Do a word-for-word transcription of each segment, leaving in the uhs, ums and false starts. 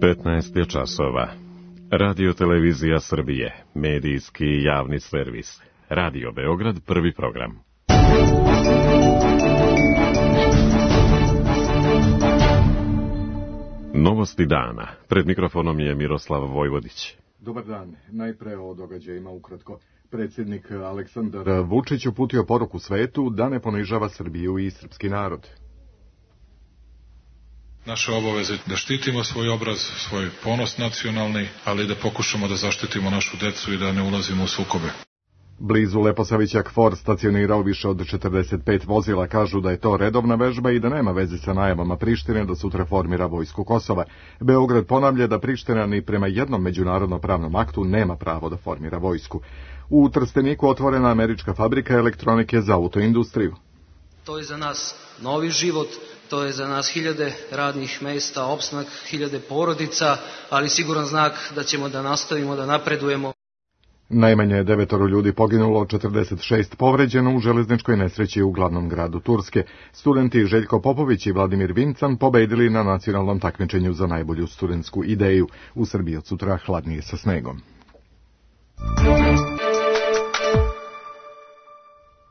petnaest je časova. Radio Televizija Srbije, medijski javni servis. Radio Beograd, prvi program. Novosti dana. Pred mikrofonom je Miroslav Vojvodić. Dobar dan. Najpre o događajima ukratko. Predsjednik Aleksandar Vučić uputio poruku svetu da ne ponižava Srbiju i srpski narod. Naša obaveza je da štitimo svoj obraz, svoj ponos nacionalni, ali da pokušamo da zaštitimo našu decu i da ne ulazimo u sukobe. Blizu Leposavića KFOR stacionirao više od četrdeset pet vozila, kažu da je to redovna vežba i da nema veze sa najavama Prištine da sutra formira vojsku Kosova. Beograd ponavlja da Priština ni prema jednom međunarodnom pravnom aktu nema pravo da formira vojsku. U Trsteniku otvorena američka fabrika elektronike za autoindustriju. To je za nas novi život, to je za nas hiljade radnih mesta, opstanak hiljade porodica, ali siguran znak da ćemo da nastavimo da napredujemo. Najmanje devetoro ljudi poginulo, četrdeset šest povređeno u železničkoj nesreći u glavnom gradu Turske. Studenti Željko Popović i Vladimir Vincan pobedili na nacionalnom takmičenju za najbolju studentsku ideju. U Srbiji od sutra hladnije sa snegom.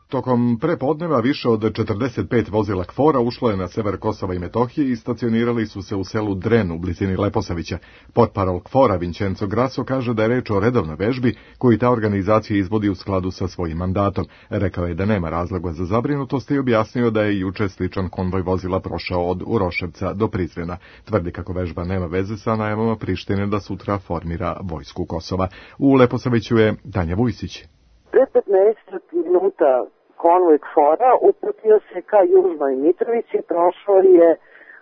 Tokom prepodneva više od četrdeset pet vozila KFOR-a ušlo je na sever Kosova i Metohije i stacionirali su se u selu Dren u blizini Leposavića. Portparol KFOR-a Vincenzo Grasso kaže da je reč o redovnoj vežbi koju ta organizacija izvodi u skladu sa svojim mandatom. Rekao je da nema razloga za zabrinutost i objasnio da je juče sličan konvoj vozila prošao od Uroševca do Prizrena. Tvrdi kako vežba nema veze sa najavama Prištine da sutra formira vojsku Kosova. U Leposaviću je Tanja Vujsić. Pre petnaest minuta konvoj KFOR-a uputio se ka Južnoj Mitrovici, prošao je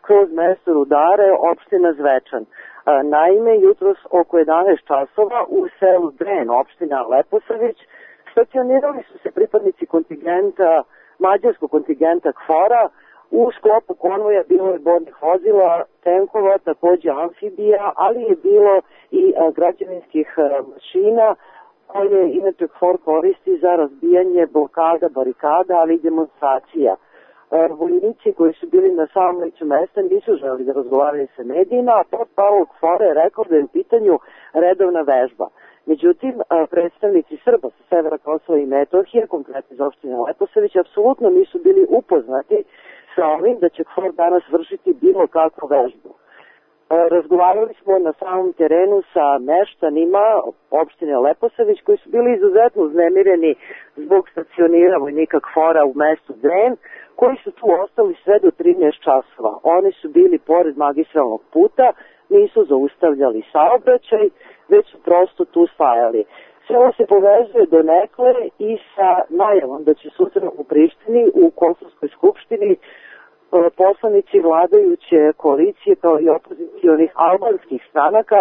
kroz mesto Rudare, opština Zvečan. Naime, jutros oko jedanaest časova u selu Dren, opština Leposavić, stacionirali su se pripadnici kontingenta, mađarskog kontingenta KFOR-a. U sklopu konvoja bilo je bornih vozila, tenkova, takođe amfibija, ali je bilo i građevinskih mašina, koje inače KFOR koristi za razbijanje blokada, barikada, ali i demonstracija. Vojnici koji su bili na samom licu mesta nisu želeli da razgovaraju sa medijima, a portparol KFOR-a je rekao da je u pitanju redovna vežba. Međutim, predstavnici Srba sa severa Kosova i Metohije, konkretno iz opštine Leposavić, apsolutno nisu bili upoznati sa ovim da će KFOR danas vršiti bilo kakvu vežbu. Razgovarali smo na samom terenu sa meštanima opštine Leposavić koji su bili izuzetno uznemireni zbog stacionira vojnika KFOR-a u mestu Dren, koji su tu ostali sve do trinaest časova. Oni su bili pored magistralnog puta, nisu zaustavljali saobraćaj, već su prosto tu stajali. Sve ovo se povezuje do nekle i sa najavom da će sutra u Prištini, u Kosovskoj skupštini, poslanici vladajuće koalicije kao i opozicionih albanskih stranaka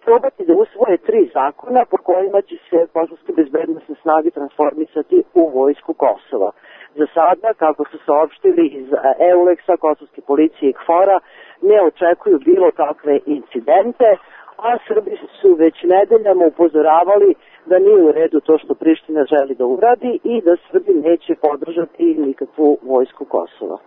probati da usvoje tri zakona po kojima će se kosovske bezbednosne snage transformisati u vojsku Kosova. Za sada, kako su saopštili iz EULEX-a, kosovske policije i KFOR-a, ne očekuju bilo kakve incidente, a Srbi su već nedeljama upozoravali da nije u redu to što Priština želi da uradi i da Srbi neće podržati nikakvu vojsku Kosova.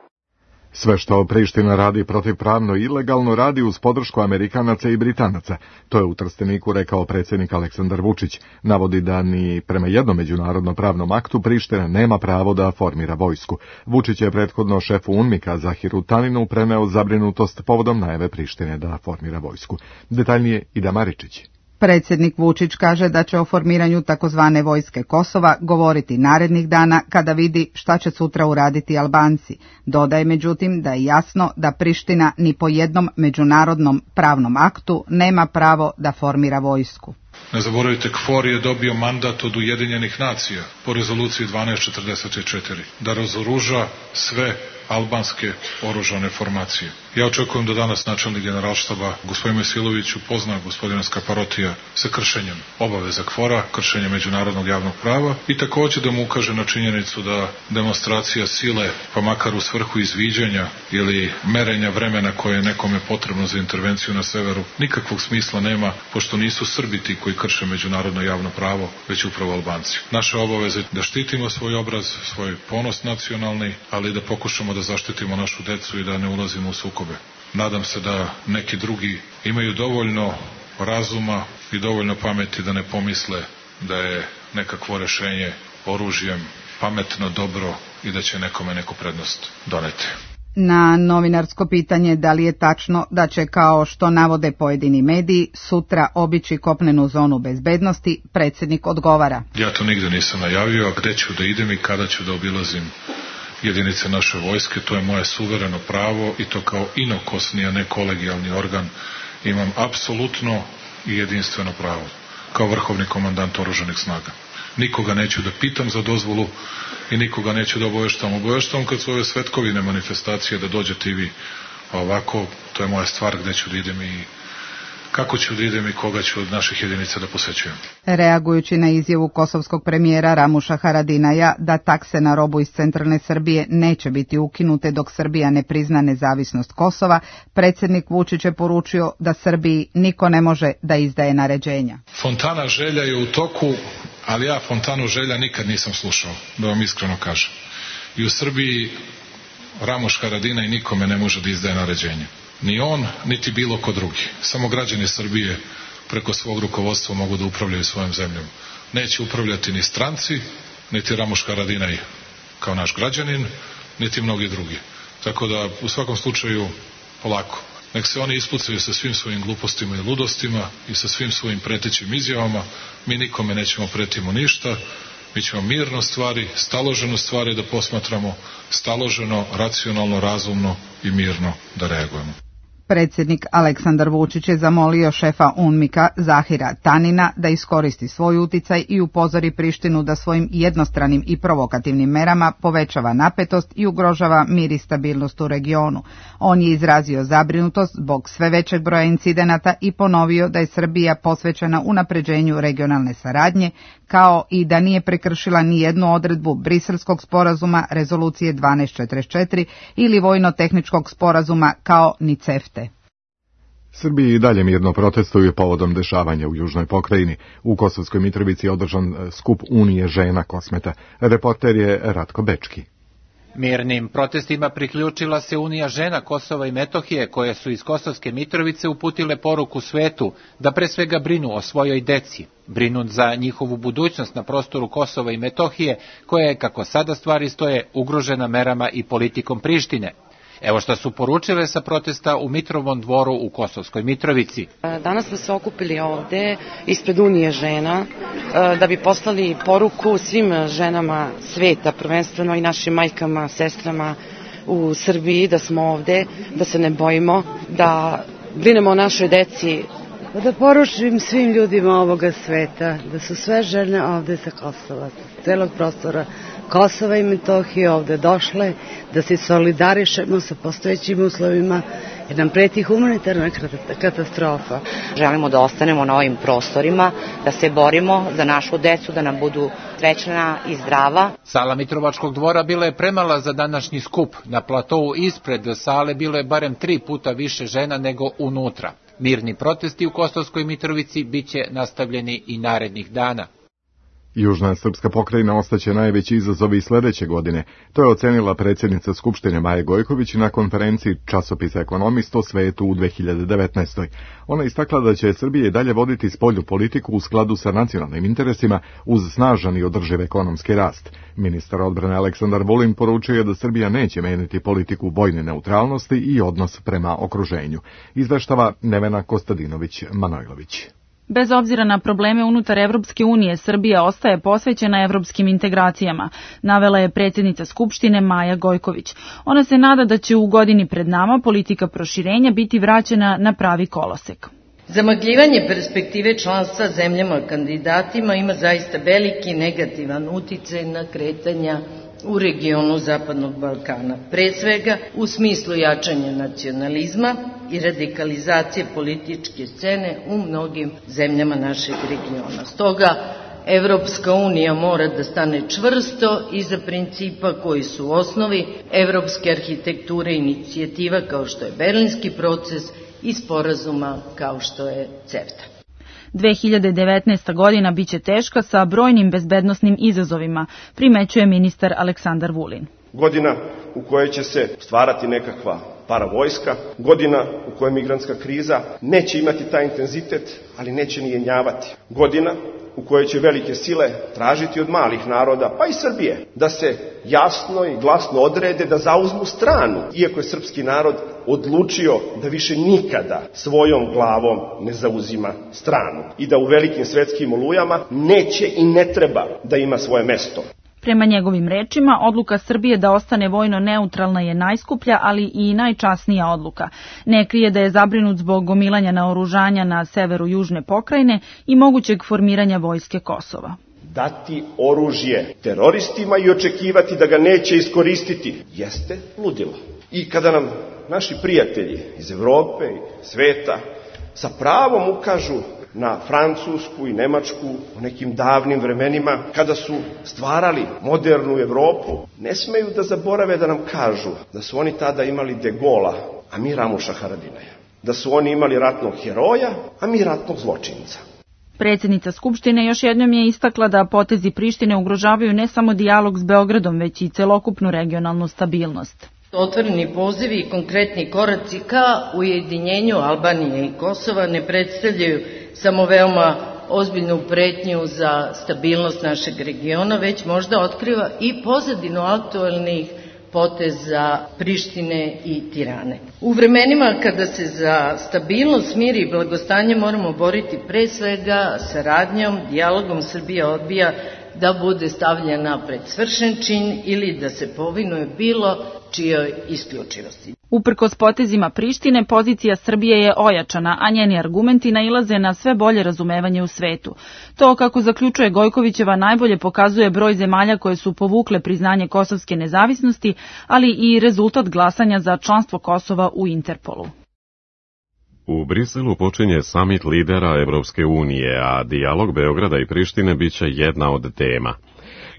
Sve što Priština radi protivpravno i ilegalno radi uz podršku Amerikanaca i Britanaca. To je u Trsteniku rekao predsjednik Aleksandar Vučić. Navodi da ni prema jednom međunarodnom pravnom aktu Priština nema pravo da formira vojsku. Vučić je prethodno šefu UNMIK-a Zahiru Taninu preneo zabrinutost povodom najave Prištine da formira vojsku. Detaljnije Ida Maričić. Predsjednik Vučić kaže da će o formiranju takozvane vojske Kosova govoriti narednih dana kada vidi šta će sutra uraditi Albanci. Dodaje međutim da je jasno da Priština ni po jednom međunarodnom pravnom aktu nema pravo da formira vojsku. Ne zaboravite, KFOR je dobio mandat od Ujedinjenih nacija po rezoluciji dvanaest četrdeset četiri da razoruža sve albanske oružane formacije. Ja očekujem da danas načelnik generalštaba gospodin Mesilović upozna gospodina Skaparotija sa kršenjem obaveza KFOR-a, kršenjem međunarodnog javnog prava i također da mu ukaže na činjenicu da demonstracija sile, pa makar u svrhu izviđanja ili merenja vremena koje je nekome potrebno za intervenciju na severu, nikakvog smisla nema, pošto nisu Srbi ti koji krše međunarodno javno pravo, već upravo Albanci. Naša obaveza je da štitimo svoj obraz, svoj ponos nacionalni, ali da pokušamo da zaštitimo našu decu i da ne ulazimo u sukobe. nadam se da neki drugi imaju dovoljno razuma i dovoljno pameti da ne pomisle da je nekakvo rešenje oružjem pametno, dobro i da će nekome neku prednost doneti. Na novinarsko pitanje da li je tačno da će, kao što navode pojedini mediji, sutra obići kopnenu zonu bezbednosti, predsjednik odgovara: Ja to nigde nisam najavio, a gde ću da idem i kada ću da obilazim jedinice naše vojske, to je moje suvereno pravo i to kao inokosni, a ne kolegijalni organ imam apsolutno i jedinstveno pravo, kao vrhovni komandant oružanih snaga. Nikoga neću da pitam za dozvolu i nikoga neću da obaveštavam. Obaveštavam kad su ove svetkovine manifestacije da dođete i vi. A ovako, to je moja stvar gde ću da idem i kako ću da idem i koga ću od naših jedinica da posećujem. Reagujući na izjavu kosovskog premijera Ramuša Haradinaja da takse na robu iz centralne Srbije neće biti ukinute dok Srbija ne prizna nezavisnost Kosova, predsjednik Vučić je poručio da Srbiji niko ne može da izdaje naređenja. Fontana želja je u toku, ali ja fontanu želja nikad nisam slušao, da vam iskreno kažem. I u Srbiji Ramuš Haradinaj nikome ne može da izdaje naređenje. Ni on, niti bilo ko drugi. Samo građani Srbije preko svog rukovodstva mogu da upravljaju svojom zemljom. Neće upravljati ni stranci, niti Ramuš Haradinaj kao naš građanin, niti mnogi drugi. Tako da, u svakom slučaju, polako. Nek se oni ispucaju sa svim svojim glupostima i ludostima i sa svim svojim pretećim izjavama. Mi nikome nećemo pretimo ništa. Mi ćemo mirno stvari, staloženo stvari da posmatramo, staloženo, racionalno, razumno i mirno da reagujemo. Predsjednik Aleksandar Vučić je zamolio šefa UNMIK-a Zahira Tanina da iskoristi svoj uticaj i upozori Prištinu da svojim jednostranim i provokativnim merama povećava napetost i ugrožava mir i stabilnost u regionu. On je izrazio zabrinutost zbog sve većeg broja incidenata i ponovio da je Srbija posvećena unapređenju regionalne saradnje, kao i da nije prekršila ni jednu odredbu Briselskog sporazuma, rezolucije dvanaest četrdeset četiri ili vojno-tehničkog sporazuma, kao ni CEFTE. Srbiji i dalje mirno protestuju povodom dešavanja u južnoj pokrajini. U Kosovskoj Mitrovici je održan skup Unije žena Kosmeta. Reporter je Ratko Bečki. Mirnim protestima priključila se Unija žena Kosova i Metohije, koje su iz Kosovske Mitrovice uputile poruku svetu da pre svega brinu o svojoj deci. Brinu za njihovu budućnost na prostoru Kosova i Metohije, koja je, kako sada stvari stoje, ugrožena merama i politikom Prištine. Evo što su poručile sa protesta u Mitrovom dvoru u Kosovskoj Mitrovici. Danas smo se okupili ovde ispred Unije žena da bi poslali poruku svim ženama sveta, prvenstveno i našim majkama, sestrama u Srbiji, da smo ovde, da se ne bojimo, da brinemo o našoj deci. Da poručim svim ljudima ovoga sveta da su sve žene ovde sa Kosova, sa celog prostora Kosova i Metohije ovde došle, da se solidarišemo sa postojećim uslovima, jer nam preti humanitarna katastrofa. Želimo da ostanemo na ovim prostorima, da se borimo za našu decu, da nam budu srećna i zdrava. Sala Mitrovačkog dvora bila je premala za današnji skup. Na platovu ispred sale bilo je barem tri puta više žena nego unutra. Mirni protesti u Kosovskoj Mitrovici biće nastavljeni i narednih dana. Južna srpska pokrajina ostaće najveći izazov i sledeće godine. To je ocenila predsjednica Skupštine Maja Gojković na konferenciji časopisa Ekonomist o svetu u dve hiljade devetnaestoj. Ona istakla da će Srbija dalje voditi spoljnu politiku u skladu sa nacionalnim interesima uz snažan i održiv ekonomski rast. Ministar odbrane Aleksandar Vulin poručio je da Srbija neće menjati politiku vojne neutralnosti i odnos prema okruženju. Izveštava Nevena Kostadinović-Manojlović. Bez obzira na probleme unutar Evropske unije, Srbija ostaje posvećena evropskim integracijama, navela je predsjednica Skupštine Maja Gojković. Ona se nada da će u godini pred nama politika proširenja biti vraćena na pravi kolosek. Zamagljivanje perspektive članstva zemljama kandidatima ima zaista veliki negativan uticaj na kretanja u regionu Zapadnog Balkana, pre svega u smislu jačanja nacionalizma i radikalizacije političke scene u mnogim zemljama našeg regiona. Stoga, Evropska unija mora da stane čvrsto iza principa koji su u osnovi evropske arhitekture i inicijativa kao što je Berlinski proces i sporazuma kao što je CEFTA. dve hiljade devetnaesta. godina biće teška sa brojnim bezbednosnim izazovima, primećuje ministar Aleksandar Vulin. Godina u kojoj će se stvarati nekakva paravojska, godina u kojoj migrantska kriza neće imati taj intenzitet, ali neće ni jenjavati, godina u kojoj će velike sile tražiti od malih naroda, pa i Srbije, da se jasno i glasno odrede, da zauzmu stranu, iako je srpski narod odlučio da više nikada svojom glavom ne zauzima stranu i da u velikim svetskim olujama neće i ne treba da ima svoje mesto. Prema njegovim rečima, odluka Srbije da ostane vojno neutralna je najskuplja, ali i najčasnija odluka. Ne krije da je zabrinut zbog gomilanja naoružanja na severu južne pokrajine i mogućeg formiranja vojske Kosova. Dati oružje teroristima i očekivati da ga neće iskoristiti jeste ludilo. I kada nam naši prijatelji iz Evrope i sveta sa pravom ukažu na Francusku i Nemačku u nekim davnim vremenima, kada su stvarali modernu Evropu, ne smeju da zaborave da nam kažu da su oni tada imali De Gola, a mi Ramuša Haradinaja. Da su oni imali ratnog heroja, a mi ratnog zločinca. Predsjednica Skupštine još jednom je istakla da potezi Prištine ugrožavaju ne samo dijalog s Beogradom, već i celokupnu regionalnu stabilnost. Otvoreni pozivi i konkretni koraci ka ujedinjenju Albanije i Kosova ne predstavljaju samo veoma ozbiljnu pretnju za stabilnost našeg regiona, već možda otkriva i pozadinu aktualnih poteza Prištine i Tirane. U vremenima kada se za stabilnost, mir i blagostanje moramo boriti pre svega saradnjom, dijalogom, Srbija odbija da bude stavljena pred svršen čin ili da se povinuje bilo čijoj isključivosti. Uprkos potezima Prištine, pozicija Srbije je ojačana, a njeni argumenti nailaze na sve bolje razumevanje u svetu. To, kako zaključuje Gojkovićeva, najbolje pokazuje broj zemalja koje su povukle priznanje kosovske nezavisnosti, ali i rezultat glasanja za članstvo Kosova u Interpolu. U Briselu počinje samit lidera Evropske unije, a dijalog Beograda i Prištine biće jedna od tema.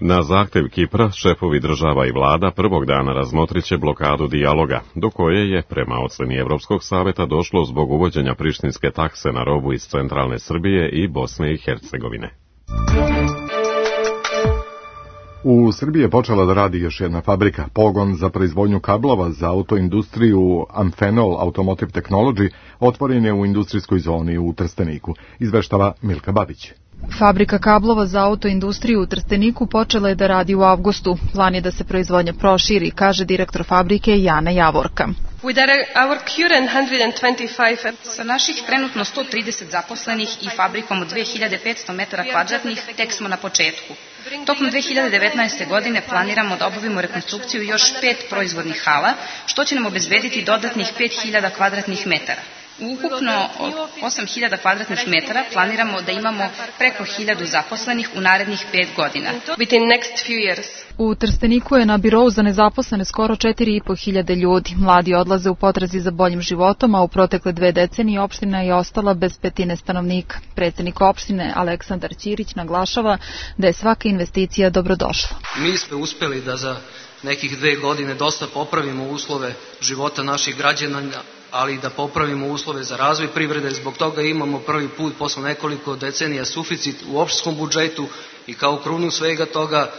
Na zahtev Kipra, šefovi država i vlada prvog dana razmotriće blokadu dijaloga, do koje je, prema oceni Evropskog saveta, došlo zbog uvođenja prištinske takse na robu iz centralne Srbije i Bosne i Hercegovine. U Srbiji je počela da radi još jedna fabrika. Pogon za proizvodnju kablova za autoindustriju Amphenol Automotive Technology otvoren je u industrijskoj zoni u Trsteniku, izveštava Milka Babić. Fabrika kablova za autoindustriju u Trsteniku počela je da radi u avgustu. Plan je da se proizvodnja proširi, kaže direktor fabrike Jana Javorka. Sa naših trenutno sto trideset zaposlenih i fabrikom od dve hiljade petsto metara kvadratnih tek smo na početku. Tokom dve hiljade devetnaeste. godine planiramo da obavimo rekonstrukciju još pet proizvodnih hala, što će nam obezbediti dodatnih pet hiljada kvadratnih metara. Ukupno od osam hiljada kvadratnih metara planiramo da imamo preko hiljadu zaposlenih u narednih pet godina. U Trsteniku je na birou za nezaposlene skoro četiri i po hiljade ljudi. Mladi odlaze u potrazi za boljim životom, a u protekle dve decenije opština je ostala bez petine stanovnika. Predsjednik opštine Aleksandar Ćirić naglašava da je svaka investicija dobrodošla. Mi smo uspeli da za nekih dve godine dosta popravimo uslove života naših građana, ali i da popravimo uslove za razvoj privrede. Zbog toga imamo prvi put posle nekoliko decenija suficit u opštinskom budžetu i kao krunu svega toga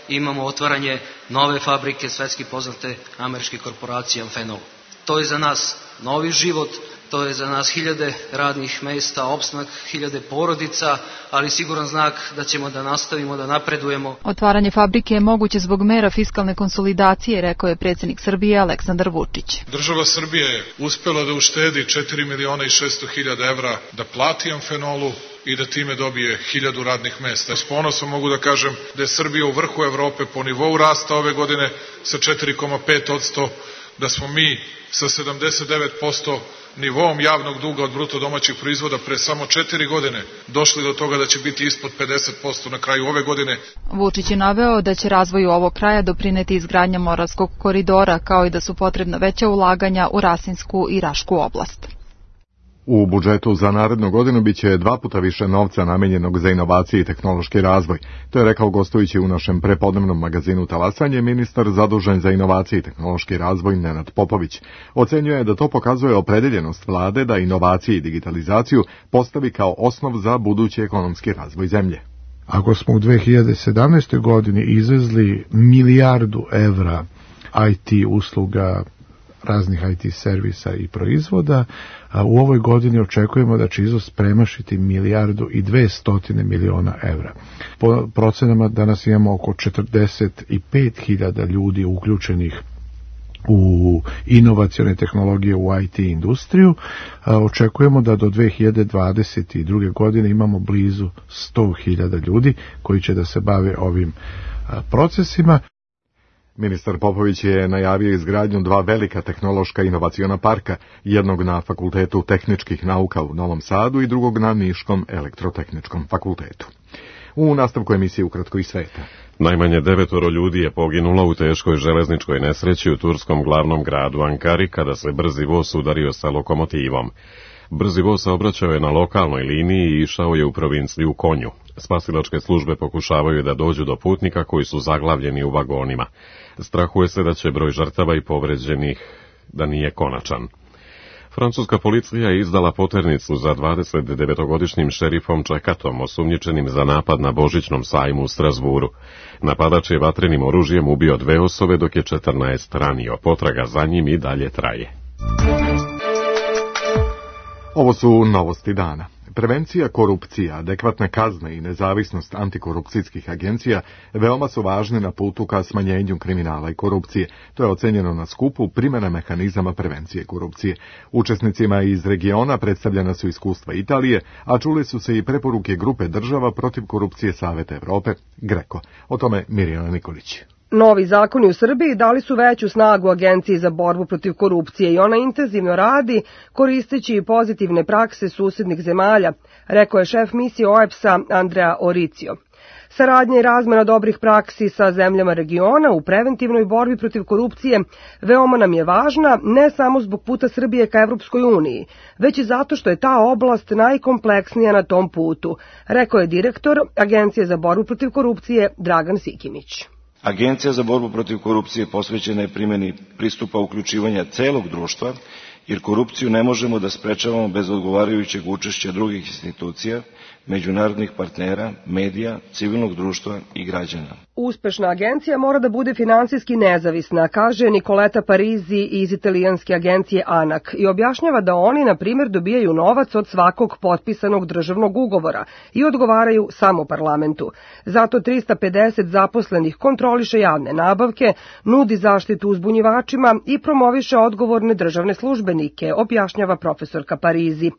imamo otvaranje nove fabrike svetski poznate američke korporacije Amphenol. To je za nas novi život, to je za nas hiljade radnih mesta, opstanak hiljade porodica, ali siguran znak da ćemo da nastavimo da napredujemo. Otvaranje fabrike je moguće zbog mera fiskalne konsolidacije, rekao je predsjednik Srbije Aleksandar Vučić. Država Srbije je uspela da uštedi četiri miliona i šesto hiljada evra da plati Amphenolu i da time dobije hiljadu radnih mesta. S ponosom mogu da kažem da je Srbija u vrhu Evrope po nivou rasta ove godine sa četiri zarez pet posto, da smo mi sa sedamdeset devet posto nivoom javnog duga od bruto domaćih proizvoda pre samo četiri godine došli do toga da će biti ispod pedeset posto na kraju ove godine. Vučić je naveo da će razvoju ovog kraja doprineti izgradnja Moravskog koridora, kao i da su potrebna veća ulaganja u Rasinsku i Rašku oblast. U budžetu za narednu godinu biće dva puta više novca namenjenog za inovacije i tehnološki razvoj. To je rekao gostujući u našem prepodnevnom magazinu Talasanje ministar zadužen za inovacije i tehnološki razvoj Nenad Popović. Ocenjuje da to pokazuje opredeljenost vlade da inovacije i digitalizaciju postavi kao osnov za budući ekonomski razvoj zemlje. Ako smo u dve hiljade sedamnaestoj. godini izvezli milijardu evra I T usluga, raznih I T servisa i proizvoda. A u ovoj godini očekujemo da će izvoz premašiti milijardu i dvestotine miliona evra. Po procenama danas imamo oko četrdeset pet hiljada ljudi uključenih u inovacione tehnologije u I T industriju. Očekujemo da do dve hiljade dvadeset druge. godine imamo blizu sto hiljada ljudi koji će da se bave ovim procesima. Ministar Popović je najavio izgradnju dva velika tehnološka inovaciona parka, jednog na Fakultetu tehničkih nauka u Novom Sadu i drugog na Niškom elektrotehničkom fakultetu. U nastavku emisije Ukratko iz sveta. Najmanje devetoro ljudi je poginulo u teškoj železničkoj nesreći u turskom glavnom gradu Ankari kada se brzi voz udario sa lokomotivom. Brzi voz saobraćao je na lokalnoj liniji i išao je u provinciju Konju. Spasilačke službe pokušavaju da dođu do putnika koji su zaglavljeni u vagonima. Strahuje se da će broj žrtava i povređenih da nije konačan. Francuska policija je izdala poternicu za dvadesetdevetogodišnjim šerifom Čekatom, osumnjičenim za napad na Božićnom sajmu u Strasburu. Napadač je vatrenim oružjem ubio dve osobe, dok je četrnaest ranio. Potraga za njim i dalje traje. Ovo su novosti dana. Prevencija korupcije, adekvatne kazne i nezavisnost antikorupcijskih agencija veoma su važne na putu ka smanjenju kriminala i korupcije. To je ocenjeno na skupu primjena mehanizama prevencije korupcije. Učesnicima iz regiona predstavljena su iskustva Italije, a čuli su se i preporuke grupe država protiv korupcije Saveta Evrope, GRECO. O tome Mirjana Nikolić. Novi zakoni u Srbiji dali su veću snagu Agenciji za borbu protiv korupcije i ona intenzivno radi koristeći i pozitivne prakse susednih zemalja, rekao je šef misije O E P S-a Andrea Oricio. Saradnja i razmena dobrih praksi sa zemljama regiona u preventivnoj borbi protiv korupcije veoma nam je važna, ne samo zbog puta Srbije ka Evropskoj uniji, već i zato što je ta oblast najkompleksnija na tom putu, rekao je direktor Agencije za borbu protiv korupcije Dragan Sikimić. Agencija za borbu protiv korupcije posvećena je primjeni pristupa uključivanja celog društva, jer korupciju ne možemo da sprečavamo bez odgovarajućeg učešća drugih institucija, međunarodnih partnera, medija, civilnog društva i građana. Uspešna agencija mora da bude finansijski nezavisna, kaže Nicoleta Parizi iz italijanske agencije ANAC i objašnjava da oni, na primjer, dobijaju novac od svakog potpisanog državnog ugovora i odgovaraju samo parlamentu. Zato trista pedeset zaposlenih kontroliše javne nabavke, nudi zaštitu uzbunjivačima i promoviše odgovorne državne službenike, objašnjava profesorka Parizi.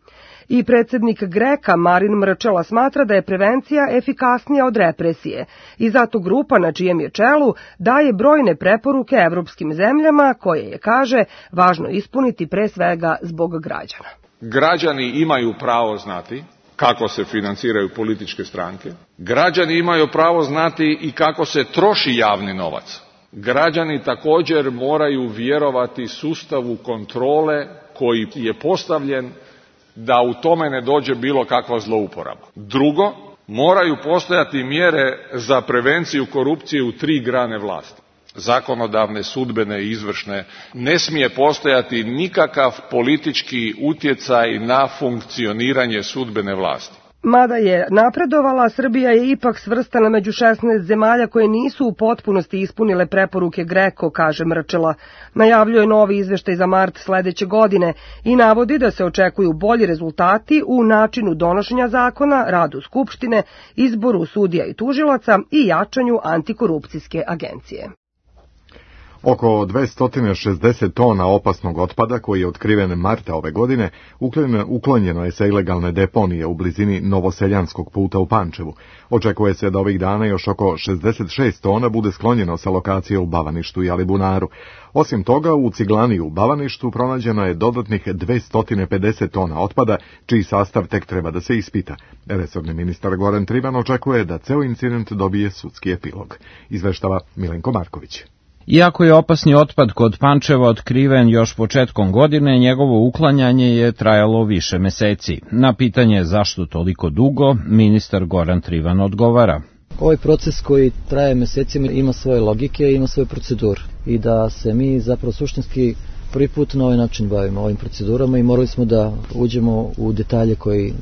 I predsjednik GRECA Marin Mrčela smatra da je prevencija efikasnija od represije i zato grupa na čijem je čelu daje brojne preporuke evropskim zemljama koje je, kaže, važno ispuniti pre svega zbog građana. Građani imaju pravo znati kako se financiraju političke stranke. Građani imaju pravo znati i kako se troši javni novac. Građani također moraju vjerovati sustavu kontrole koji je postavljen da u tome ne dođe bilo kakva zlouporaba. Drugo, moraju postojati mjere za prevenciju korupcije u tri grane vlasti. Zakonodavne, sudbene i izvršne. Ne smije postojati nikakav politički utjecaj na funkcioniranje sudbene vlasti. Mada je napredovala, Srbija je ipak svrstana među šesnaest zemalja koje nisu u potpunosti ispunile preporuke GRECO, kaže Mrčela. Najavljuje novi izveštaj za mart sledeće godine i navodi da se očekuju bolji rezultati u načinu donošenja zakona, radu Skupštine, izboru sudija i tužilaca i jačanju antikorupcijske agencije. Oko dvesta šezdeset tona opasnog otpada koji je otkriven marta ove godine uklonjeno je sa ilegalne deponije u blizini Novoseljanskog puta u Pančevu. Očekuje se da ovih dana još oko šezdeset šest tona bude sklonjeno sa lokacije u Bavaništu i Alibunaru. Osim toga, u Ciglani u Bavaništu pronađeno je dodatnih dvesta pedeset tona otpada, čiji sastav tek treba da se ispita. Resorni ministar Goran Trivan očekuje da ceo incident dobije sudski epilog. Izveštava Milenko Marković. Iako je opasni otpad kod Pančeva otkriven još početkom godine, njegovo uklanjanje je trajalo više meseci. Na pitanje zašto toliko dugo, ministar Goran Trivan odgovara. Ovaj proces koji traje mesecima ima svoje logike, ima svoju proceduru i da se mi zapravo suštinski prvi put na ovaj način bavimo ovim procedurama i morali smo da uđemo u detalje koji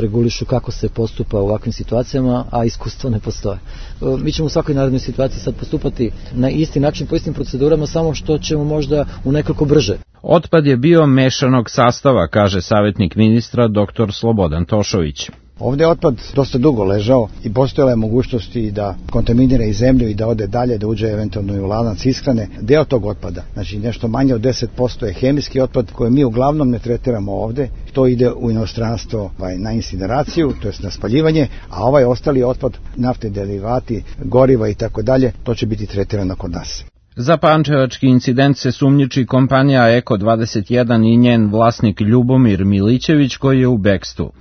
regulišu kako se postupa u ovakvim situacijama, a iskustvo ne postoje. Mi ćemo u svakoj narednoj situaciji sad postupati na isti način, po istim procedurama, samo što ćemo možda u nekoliko brže. Otpad je bio mešanog sastava, kaže savjetnik ministra dr Slobodan Tošović. Ovdje je otpad dosta dugo ležao i postojala je mogućnost i da kontaminira i zemlju i da ode dalje, da uđe eventualno i u lanac ishrane. Deo tog otpada, znači nešto manje od deset posto je hemijski otpad koji mi uglavnom ne tretiramo ovdje. To ide u inostranstvo na incineraciju, to jest na spaljivanje, a ovaj ostali otpad, nafte, derivati, goriva i tako dalje, to će biti tretirano kod nas. Za pančevački incident se sumnjiči kompanija Eko dvadeset jedan i njen vlasnik Ljubomir Milićević koji je u bekstvu.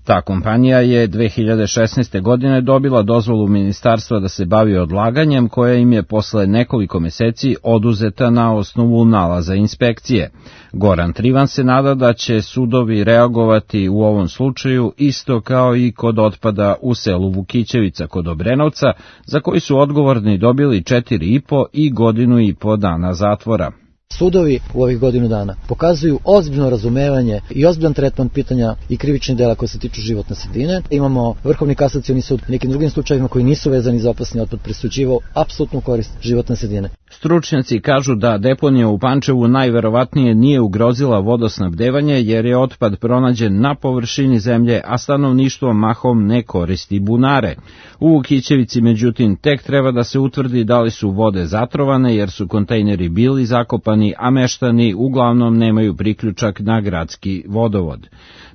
Ta kompanija je dve hiljade šesnaeste. godine dobila dozvolu ministarstva da se bavi odlaganjem koja im je posle nekoliko meseci oduzeta na osnovu nalaza inspekcije. Goran Trivan se nada da će sudovi reagovati u ovom slučaju isto kao i kod otpada u selu Vukićevica kod Obrenovca, za koji su odgovorni dobili četiri i po i godinu i po dana zatvora. Sudovi u ovih godinu dana pokazuju ozbiljno razumevanje i ozbiljan tretman pitanja i krivičnih dela koje se tiču životne sredine. Imamo Vrhovni kasacioni sud nekim drugim slučajevima koji nisu vezani za opasni otpad presuđivao apsolutnu korist životne sredine. Stručnjaci kažu da deponija u Pančevu najverovatnije nije ugrozila vodosnabdevanje jer je otpad pronađen na površini zemlje, a stanovništvo mahom ne koristi bunare. U Vukićevici međutim tek treba da se utvrdi da li su vode zatrovane jer su kontejneri bili zakopani, a meštani uglavnom nemaju priključak na gradski vodovod.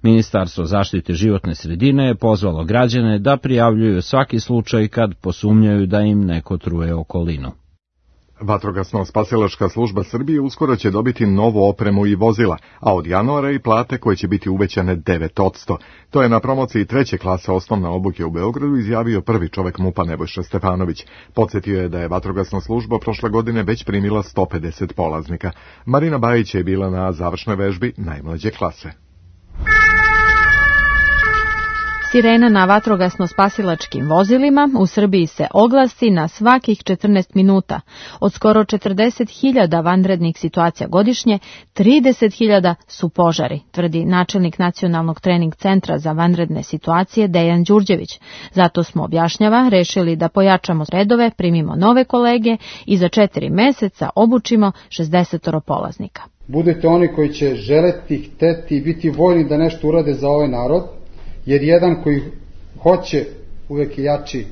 Ministarstvo zaštite životne sredine je pozvalo građane da prijavljuju svaki slučaj kad posumnjaju da im neko truje okolinu. Vatrogasno-spasilačka služba Srbije uskoro će dobiti novu opremu i vozila, a od januara i plate koje će biti uvećane devet posto. To je na promociji treće klase osnovne obuke u Beogradu izjavio prvi čovek MUP-a Nebojša Stefanović. Podsjetio je da je vatrogasna služba prošle godine već primila sto pedeset polaznika. Marina Bajić je bila na završnoj vežbi najmlađe klase. Sirena na vatrogasno-spasilačkim vozilima u Srbiji se oglasi na svakih četrnaest minuta. Od skoro četrdeset hiljada vanrednih situacija godišnje, trideset hiljada su požari, tvrdi načelnik Nacionalnog trening centra za vanredne situacije Dejan Đurđević. Zato smo, objašnjava, rešili da pojačamo redove, primimo nove kolege i za četiri meseca obučimo šezdeset polaznika. Budete oni koji će želeti, hteti i biti voljni da nešto urade za ovaj narod, jer jedan koji hoće uvek je jači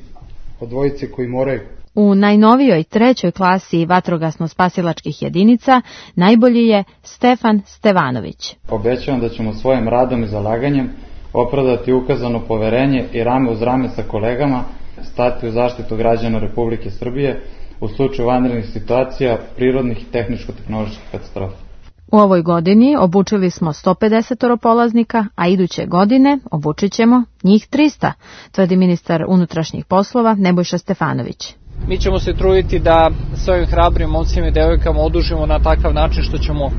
od dvojice koji moraju. U najnovijoj trećoj klasi vatrogasno-spasilačkih jedinica najbolji je Stefan Stevanović. Obećavam da ćemo svojim radom i zalaganjem opravdati ukazano poverenje i rame uz rame sa kolegama stati u zaštitu građana Republike Srbije u slučaju vanrednih situacija, prirodnih i tehničko-tehnoloških katastrofa. U ovoj godini obučili smo sto pedeset polaznika, a iduće godine obučit ćemo njih trista, tvrdi ministar unutrašnjih poslova Nebojša Stefanović. Mi ćemo se truditi da s ovim hrabrim momcima i devojkama odužimo na takav način što ćemo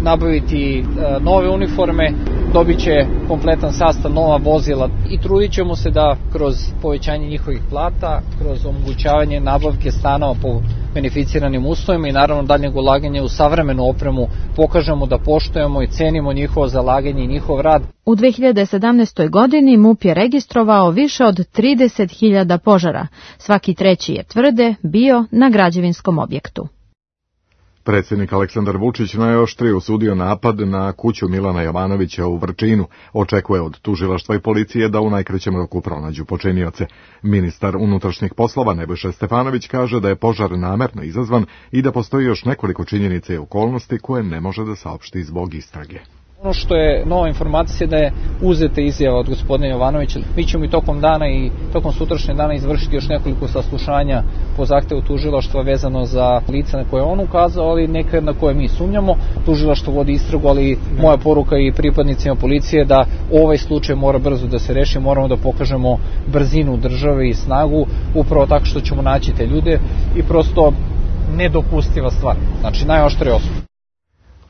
nabaviti nove uniforme, dobit će kompletan sastav, nova vozila i trudit ćemo se da kroz povećanje njihovih plata, kroz omogućavanje nabavke stanova po beneficiranim uslovima i naravno daljnjeg ulaganja u savremenu opremu pokažemo da poštujemo i cenimo njihovo zalaganje i njihov rad. U dve hiljade sedamnaestoj. godini MUP je registrovao više od trideset hiljada požara. Svaki treći je, tvrde, bio na građevinskom objektu. Predsjednik Aleksandar Vučić najoštrije osudio napad na kuću Milana Jovanovića u Vrčinu. Očekuje od tužilaštva i policije da u najkraćem roku pronađu počinioce. Ministar unutrašnjih poslova Nebojša Stefanović kaže da je požar namerno izazvan i da postoji još nekoliko činjenica i okolnosti koje ne može da saopšti zbog istrage. Ono što je nova informacija da je uzeta izjava od gospodina Jovanovića. Mi ćemo i tokom dana i tokom sutrašnjeg dana izvršiti još nekoliko saslušanja po zahtevu tužilaštva vezano za lica na koje on ukazao, ali neka na koje mi sumnjamo. Tužilaštvo vodi istragu, ali moja poruka i pripadnicima policije da ovaj slučaj mora brzo da se reši, moramo da pokažemo brzinu države i snagu, upravo tako što ćemo naći te ljude i prosto nedopustiva stvar. Znači najoštrije osuda.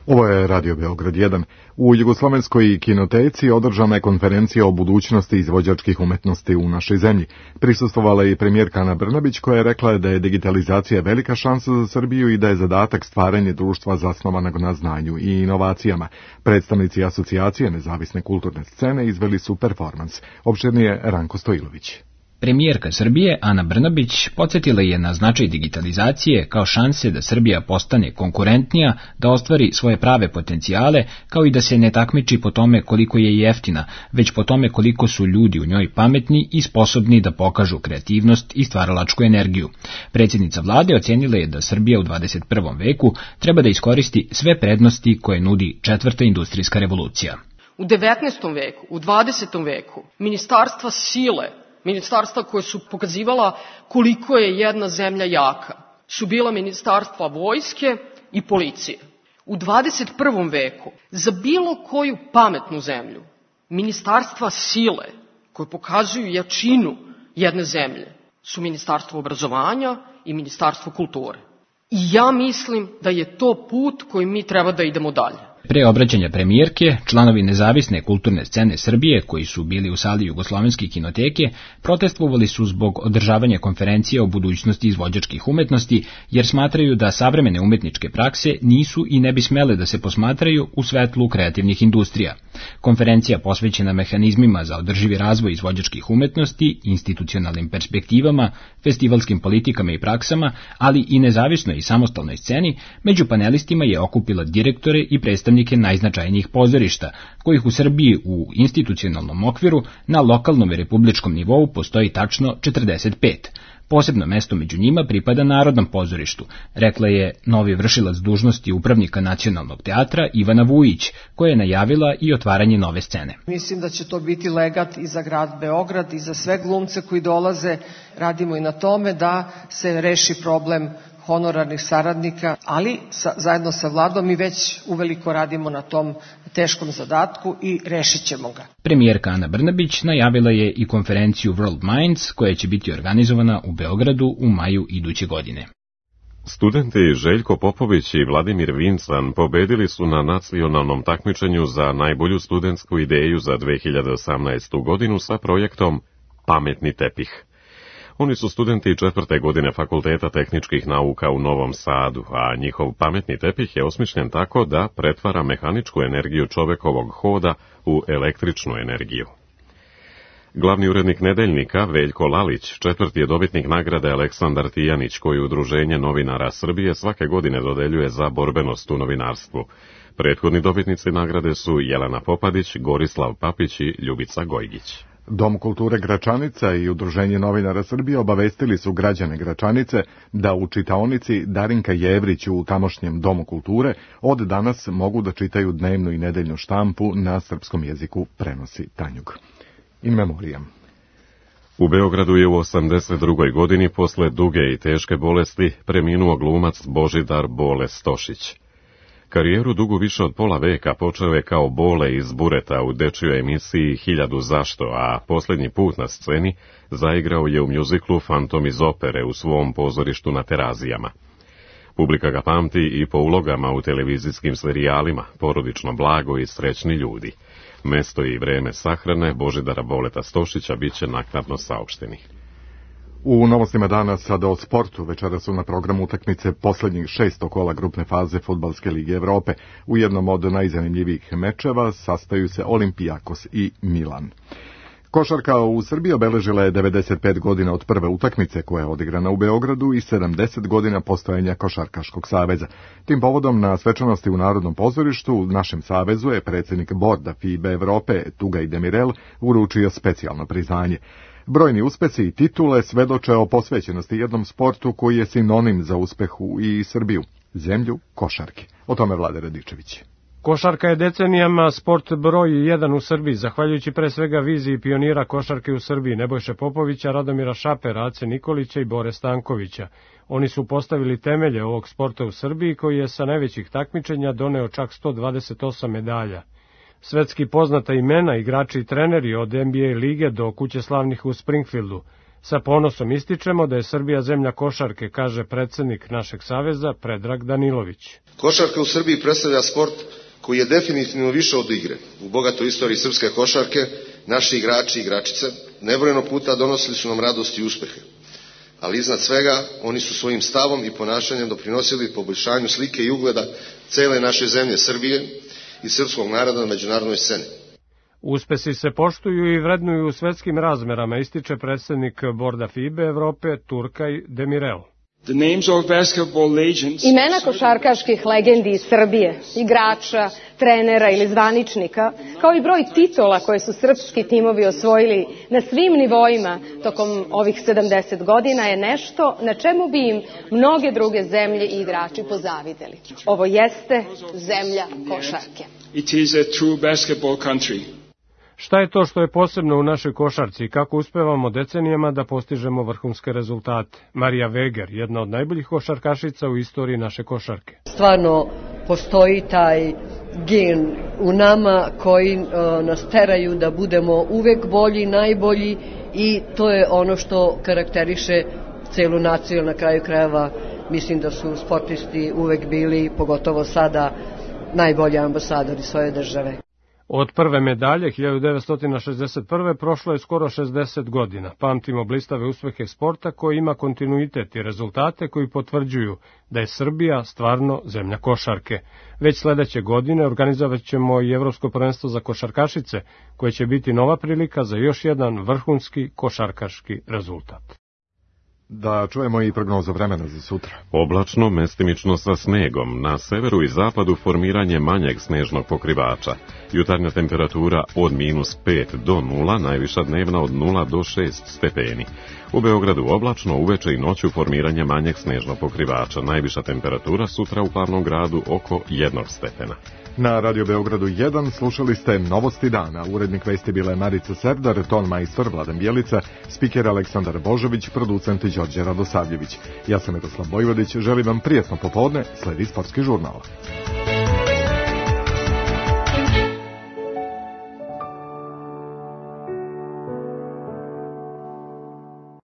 Ovo je Radio Beograd jedan. U Jugoslovenskoj kinoteci održana je konferencija o budućnosti izvođačkih umetnosti u našoj zemlji. Prisustvovala je i premijerka Ana Brnabić koja je rekla da je digitalizacija velika šansa za Srbiju i da je zadatak stvaranje društva zasnovanog na znanju i inovacijama. Predstavnici asocijacije nezavisne kulturne scene izveli su performans. Opširnije Ranko Stojilović. Premijerka Srbije, Ana Brnabić, podsjetila je na značaj digitalizacije kao šanse da Srbija postane konkurentnija, da ostvari svoje prave potencijale, kao i da se ne takmiči po tome koliko je jeftina, već po tome koliko su ljudi u njoj pametni i sposobni da pokažu kreativnost i stvaralačku energiju. Predsjednica vlade ocenila je da Srbija u dvadeset prvom veku treba da iskoristi sve prednosti koje nudi četvrta industrijska revolucija. U devetnaestom veku, u dvadesetom veku, ministarstva sile, ministarstva koje su pokazivala koliko je jedna zemlja jaka, su bila ministarstva vojske i policije. U dvadeset prvom veku, za bilo koju pametnu zemlju, ministarstva sile koje pokazuju jačinu jedne zemlje su ministarstvo obrazovanja i ministarstvo kulture. I ja mislim da je to put kojim mi treba da idemo dalje. Pre obraćanja premijerke, članovi nezavisne kulturne scene Srbije, koji su bili u sali Jugoslovenske kinoteke, protestvovali su zbog održavanja konferencije o budućnosti izvođačkih umetnosti, jer smatraju da savremene umetničke prakse nisu i ne bi smele da se posmatraju u svetlu kreativnih industrija. Konferencija posvećena mehanizmima za održivi razvoj izvođačkih umetnosti, institucionalnim perspektivama, festivalskim politikama i praksama, ali i nezavisnoj i samostalnoj sceni, među panelistima je okupila direktore i predstavnike najznačajnijih pozorišta, kojih u Srbiji u institucionalnom okviru na lokalnom i republičkom nivou postoji tačno četrdeset pet. Posebno mesto među njima pripada Narodnom pozorištu, rekla je novi vršilac dužnosti upravnika Nacionalnog teatra Ivana Vujić, koja je najavila i otvaranje nove scene. Mislim da će to biti legat i za grad Beograd i za sve glumce koji dolaze. Radimo i na tome da se reši problem honorarnih saradnika, ali sa, zajedno sa vladom mi već uveliko radimo na tom teškom zadatku i rešit ćemo ga. Premijerka Ana Brnabić najavila je i konferenciju World Minds koja će biti organizovana u Beogradu u maju iduće godine. Studenti Željko Popović i Vladimir Vincan pobedili su na nacionalnom takmičenju za najbolju studentsku ideju za dve hiljade osamnaestu. godinu sa projektom Pametni tepih. Oni su studenti četvrte godine Fakulteta tehničkih nauka u Novom Sadu, a njihov pametni tepih je osmišljen tako da pretvara mehaničku energiju čovekovog hoda u električnu energiju. Glavni urednik Nedeljnika, Veljko Lalić, četvrti je dobitnik nagrade Aleksandar Tijanić, koju Udruženje novinara Srbije svake godine dodeljuje za borbenost u novinarstvu. Prethodni dobitnici nagrade su Jelena Popadić, Gorislav Papić i Ljubica Gojgić. Dom kulture Gračanica i Udruženje novinara Srbije obavestili su građane Gračanice da u čitaonici Darinka Jevrić u tamošnjem Domu kulture od danas mogu da čitaju dnevnu i nedeljnu štampu na srpskom jeziku, prenosi Tanjug. In memoriam. U Beogradu je u osamdeset drugoj. godini posle duge i teške bolesti preminuo glumac Božidar Bole Stošić. Karijeru dugu više od pola veka počeo je kao Bole iz Bureta u dečjoj emisiji Hiljadu zašto, a posljednji put na sceni zaigrao je u mjuziklu Fantom iz opere u svom pozorištu na Terazijama. Publika ga pamti i po ulogama u televizijskim serijalima Porodično blago i Srećni ljudi. Mesto i vreme sahrane Božidara Boleta Stošića bit će naknadno saopšteni. U novostima dana sada o sportu. Večera su na programu utakmice posljednjih šesto kola grupne faze Fudbalske lige Evrope. U jednom od najzanimljivijih mečeva sastaju se Olimpijakos i Milan. Košarka u Srbiji obeležila je devedeset pet godina od prve utakmice koja je odigrana u Beogradu i sedamdeset godina postojanja Košarkaškog saveza. Tim povodom na svečanosti u Narodnom pozorištu u našem savezu je predsjednik borda F I B A Evrope Tugaj Demirel uručio specijalno priznanje. Brojni uspesi i titule svedoče o posvećenosti jednom sportu koji je sinonim za uspeh u i Srbiju, zemlju košarke. O tome Vlade Radičević. Košarka je decenijama sport broj jedan u Srbiji, zahvaljujući pre svega viziji pionira košarke u Srbiji Nebojše Popovića, Radomira Šapera, Ace Nikolića i Bore Stankovića. Oni su postavili temelje ovog sporta u Srbiji koji je sa najvećih takmičenja doneo čak sto dvadeset osam medalja. Svetski poznata imena, igrači i treneri od N B A lige do kuće slavnih u Springfieldu, Sa ponosom ističemo da je Srbija zemlja košarke, kaže predsednik našeg saveza Predrag Danilović. Košarka u Srbiji predstavlja sport koji je definitivno više od igre. U bogatoj istoriji srpske košarke naši igrači i igračice nebrojeno puta donosili su nam radost i uspehe. Ali iznad svega oni su svojim stavom i ponašanjem doprinosili poboljšanju slike i ugleda cele naše zemlje Srbije i srpskog naroda na međunarodnoj sceni. Uspesi se poštuju i vrednuju u svetskim razmerama, ističe predsednik Borda FIBE Evrope Turkaj Demirel. Imena košarkaških legendi iz Srbije, igrača, trenera ili zvaničnika, kao i broj titola koje su srpski timovi osvojili na svim nivoima tokom ovih sedamdeset godina je nešto na čemu bi im mnoge druge zemlje i igrači pozavideli. Ovo jeste zemlja košarke. It is a true basketball country. Šta je to što je posebno u našoj košarci i kako uspevamo decenijama da postižemo vrhunske rezultate? Marija Veger, jedna od najboljih košarkašica u istoriji naše košarke. Stvarno postoji taj gen u nama koji uh, nas teraju da budemo uvek bolji, najbolji i to je ono što karakteriše celu naciju. Na kraju krajeva mislim da su sportisti uvek bili, pogotovo sada, najbolji ambasadori svoje države. Od prve medalje hiljadu devetsto šezdeset prve prošlo je skoro šezdeset godina. Pamtimo blistave uspehe sporta koji ima kontinuitet i rezultate koji potvrđuju da je Srbija stvarno zemlja košarke. Već sledeće godine organizovat ćemo i Evropsko prvenstvo za košarkašice, koje će biti nova prilika za još jedan vrhunski košarkaški rezultat. Da čujemo i prognozu vremena za sutra. Oblačno, mestimično sa snegom. Na severu i zapadu formiranje manjeg snežnog pokrivača. Jutarnja temperatura od minus pet do nula, najviša dnevna od nula do šest stepeni. U Beogradu oblačno, uveče i noću formiranje manjeg snežnog pokrivača. Najviša temperatura sutra u Glavnom gradu oko jednog stepena. Na Radio Beogradu jedan slušali ste Novosti dana. Urednik vesti bila je Marica Serdar, ton majstor Vladan Bjelica, spiker Aleksandar Božović, producent Đorđe Radosavljević. Ja sam Miroslav Bojvodić, želim vam prijetno popodne, sledi Sportski žurnal.